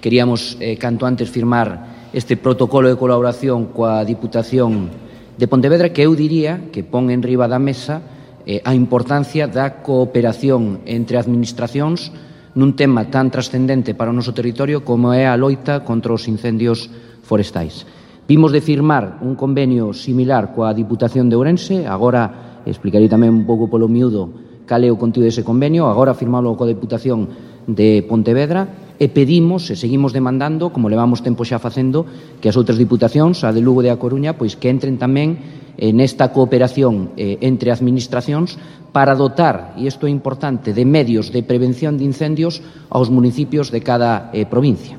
queríamos canto antes firmar este protocolo de colaboración coa Diputación de Pontevedra, que eu diría que pon en riba da mesa a importancia da cooperación entre administracións nun tema tan trascendente para o noso territorio como é a loita contra os incendios forestais. Vimos de firmar un convenio similar coa Diputación de Ourense, agora explicarei tamén un pouco polo miúdo cal é o contido dese convenio, agora firmalo coa Diputación de Pontevedra, e pedimos e seguimos demandando, como levamos tempo xa facendo, que as outras diputacións, a de Lugo e a Coruña, pois que entren tamén nesta cooperación entre administracións para dotar, e isto é importante, de medios de prevención de incendios aos municipios de cada provincia.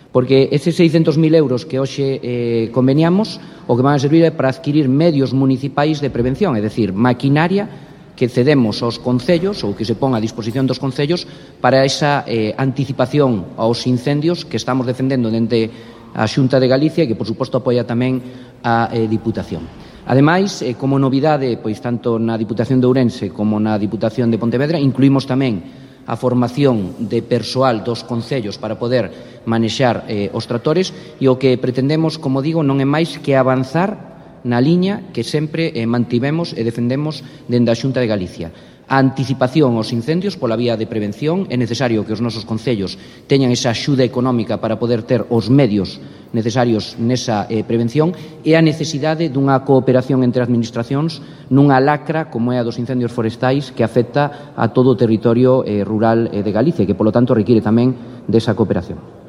Porque eses 600.000 euros que hoxe conveniamos o que van a servir é para adquirir medios municipais de prevención, é dicir, maquinaria que cedemos aos concellos ou que se pon a disposición dos concellos para esa anticipación aos incendios que estamos defendendo dende a Xunta de Galicia e que, por suposto, apoia tamén a Diputación. Ademais, como novidade, pois tanto na Diputación de Ourense como na Diputación de Pontevedra, incluímos tamén a formación de persoal dos concellos para poder manexar os tractores e o que pretendemos, como digo, non é máis que avanzar na liña que sempre mantivemos e defendemos dende a Xunta de Galicia. A anticipación aos incendios pola vía de prevención, é necesario que os nosos concellos teñan esa axuda económica para poder ter os medios necesarios nesa prevención e a necesidade dunha cooperación entre administracións nunha lacra como é a dos incendios forestais que afecta a todo o territorio rural de Galicia e que, polo tanto, require tamén desa cooperación.